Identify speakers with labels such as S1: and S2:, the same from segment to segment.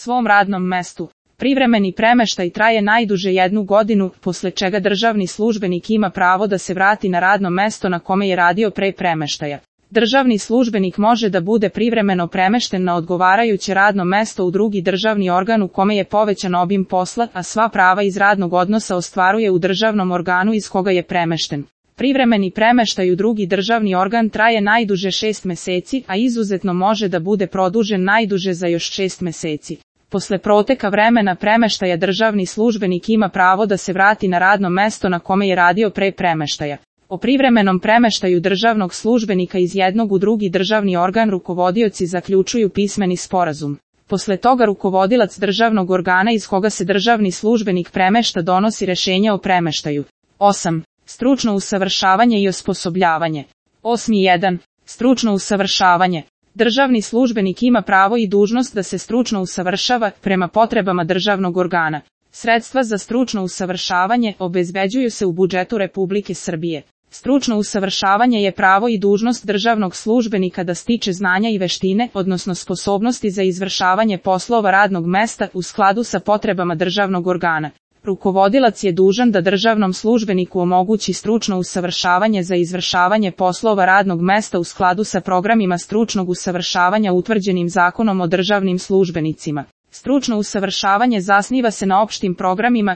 S1: svom radnom mestu. Privremeni premeštaj traje najduže 1 godinu, posle čega državni službenik ima pravo da se vrati na radno mesto na kome je radio pre premeštaja. Državni službenik može da bude privremeno premešten na odgovarajuće radno mesto u drugi državni organ u kome je povećan obim posla, a sva prava iz radnog odnosa ostvaruje u državnom organu iz koga je premešten. Privremeni premeštaj u drugi državni organ traje najduže 6 meseci, a izuzetno može da bude produžen najduže za još 6 meseci. Posle proteka vremena premeštaja državni službenik ima pravo da se vrati na radno mesto na kome je radio pre premeštaja. O privremenom premeštaju državnog službenika iz jednog u drugi državni organ rukovodioci zaključuju pismeni sporazum. Posle toga rukovodilac državnog organa iz koga se državni službenik premešta donosi rešenje o premeštaju. 8. Stručno usavršavanje i osposobljavanje. 8.1. Stručno usavršavanje. Državni službenik ima pravo i dužnost da se stručno usavršava prema potrebama državnog organa. Sredstva za stručno usavršavanje obezbeđuju se u budžetu Republike Srbije. Stručno usavršavanje je pravo i dužnost državnog službenika da stiče znanja i veštine, odnosno sposobnosti za izvršavanje poslova radnog mesta u skladu sa potrebama državnog organa. Rukovodilac je dužan da državnom službeniku omogući stručno usavršavanje za izvršavanje poslova radnog mesta u skladu sa programima stručnog usavršavanja utvrđenim Zakonom o državnim službenicima. Stručno usavršavanje zasniva se na opštim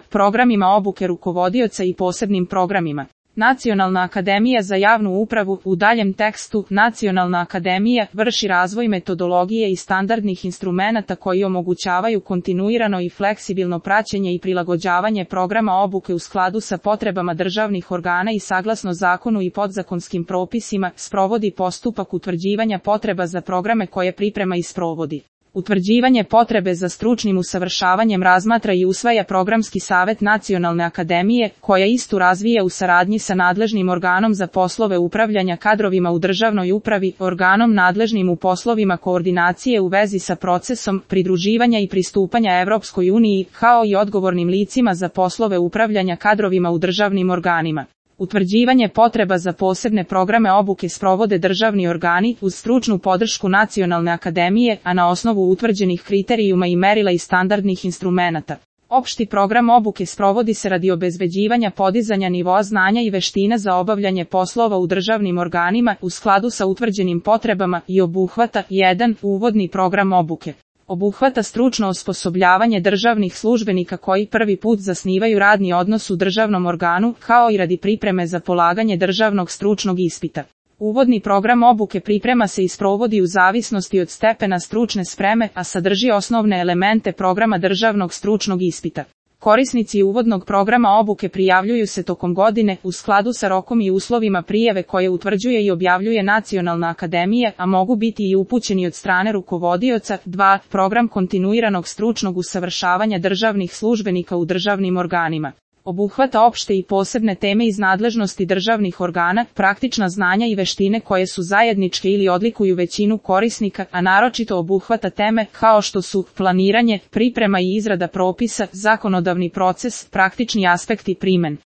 S1: programima obuke rukovodioca i posebnim programima. Nacionalna akademija za javnu upravu, u daljem tekstu, Nacionalna akademija vrši razvoj metodologije i standardnih instrumenata koji omogućavaju kontinuirano i fleksibilno praćenje i prilagođavanje programa obuke u skladu sa potrebama državnih organa i saglasno zakonu i podzakonskim propisima, sprovodi postupak utvrđivanja potreba za programe koje priprema i sprovodi. Utvrđivanje potrebe za stručnim usavršavanjem razmatra i usvaja Programski savet Nacionalne akademije, koja istu razvija u saradnji sa nadležnim organom za poslove upravljanja kadrovima u državnoj upravi, organom nadležnim u poslovima koordinacije u vezi sa procesom pridruživanja i pristupanja Evropskoj uniji, kao i odgovornim licima za poslove upravljanja kadrovima u državnim organima. Utvrđivanje potreba za posebne programe obuke sprovode državni organi uz stručnu podršku Nacionalne akademije, a na osnovu utvrđenih kriterijuma i merila i standardnih instrumenata. Opšti program obuke sprovodi se radi obezbeđivanja podizanja nivoa znanja i veština za obavljanje poslova u državnim organima u skladu sa utvrđenim potrebama i obuhvata 1. Uvodni program obuke. Obuhvata stručno osposobljavanje državnih službenika koji prvi put zasnivaju radni odnos u državnom organu, kao i radi pripreme za polaganje državnog stručnog ispita. Uvodni program obuke priprema se i sprovodi u zavisnosti od stepena stručne spreme, a sadrži osnovne elemente programa državnog stručnog ispita. Korisnici uvodnog programa obuke prijavljuju se tokom godine u skladu sa rokom i uslovima prijave koje utvrđuje i objavljuje Nacionalna akademija, a mogu biti i upućeni od strane rukovodioca. 2. Program kontinuiranog stručnog usavršavanja državnih službenika u državnim organima. Obuhvata opšte i posebne teme iz nadležnosti državnih organa, praktična znanja i veštine koje su zajedničke ili odlikuju većinu korisnika, a naročito obuhvata teme kao što su planiranje, priprema i izrada propisa, zakonodavni proces, praktični aspekti primene.